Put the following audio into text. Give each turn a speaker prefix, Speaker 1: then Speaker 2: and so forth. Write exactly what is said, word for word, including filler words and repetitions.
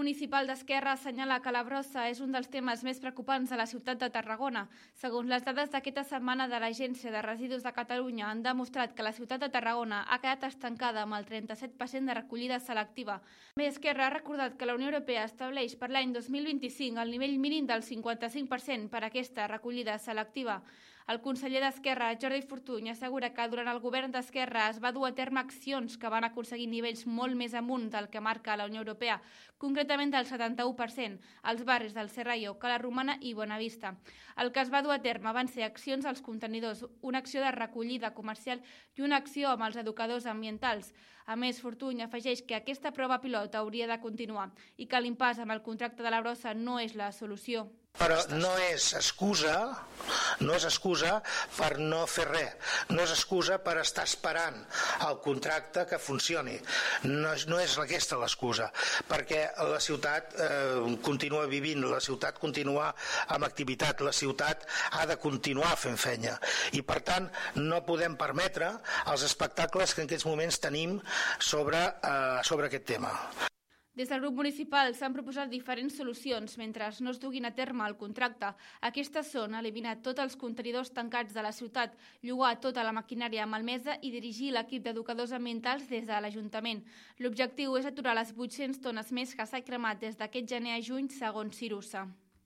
Speaker 1: municipal d'Esquerra assenyala que la brossa és un dels temes més preocupants de la ciutat de Tarragona. Segons les dades d'aquesta setmana de l'Agència de Residus de Catalunya, han demostrat que la ciutat de Tarragona ha quedat estancada amb el trenta-set per cent de recollida selectiva. També Esquerra ha recordat que la Unió Europea estableix per l'any dos mil vint-i-cinc el nivell mínim del cinquanta-cinc per cent per a aquesta recollida selectiva. El conseller d'Esquerra, Jordi Fortuny, assegura que durant el govern d'Esquerra es va dur a terme accions que van aconseguir nivells molt més amunt del que marca la Unió Europea, concretament del setanta-u per cent, als barris del Serrallo, Cala Romana i Bonavista. El que es va dur a terme van ser accions als contenidors, una acció de recollida comercial i una acció amb els educadors ambientals. A més, Fortuny afegeix que aquesta prova pilot hauria de continuar i que l'impàs amb el contracte de la brossa no és la solució.
Speaker 2: Però no és excusa, no és excusa per no fer res, no és excusa per estar esperant el contracte que funcioni. No és, no és aquesta l'excusa, perquè la ciutat eh, continua vivint, la ciutat continua amb activitat, la ciutat ha de continuar fent feina i per tant no podem permetre els espectacles que en aquests moments tenim sobre, eh, sobre aquest tema.
Speaker 1: Des del grup municipal s'han proposat diferents solucions mentre no es duguin a terme el contracte. Aquestes són eliminar tots els contenidors tancats de la ciutat, llogar tota la maquinària malmesa i dirigir l'equip d'educadors ambientals des de l'Ajuntament. L'objectiu és aturar les vuit-centes tones més que s'ha cremat des d'aquest gener a juny, segons Cirusa.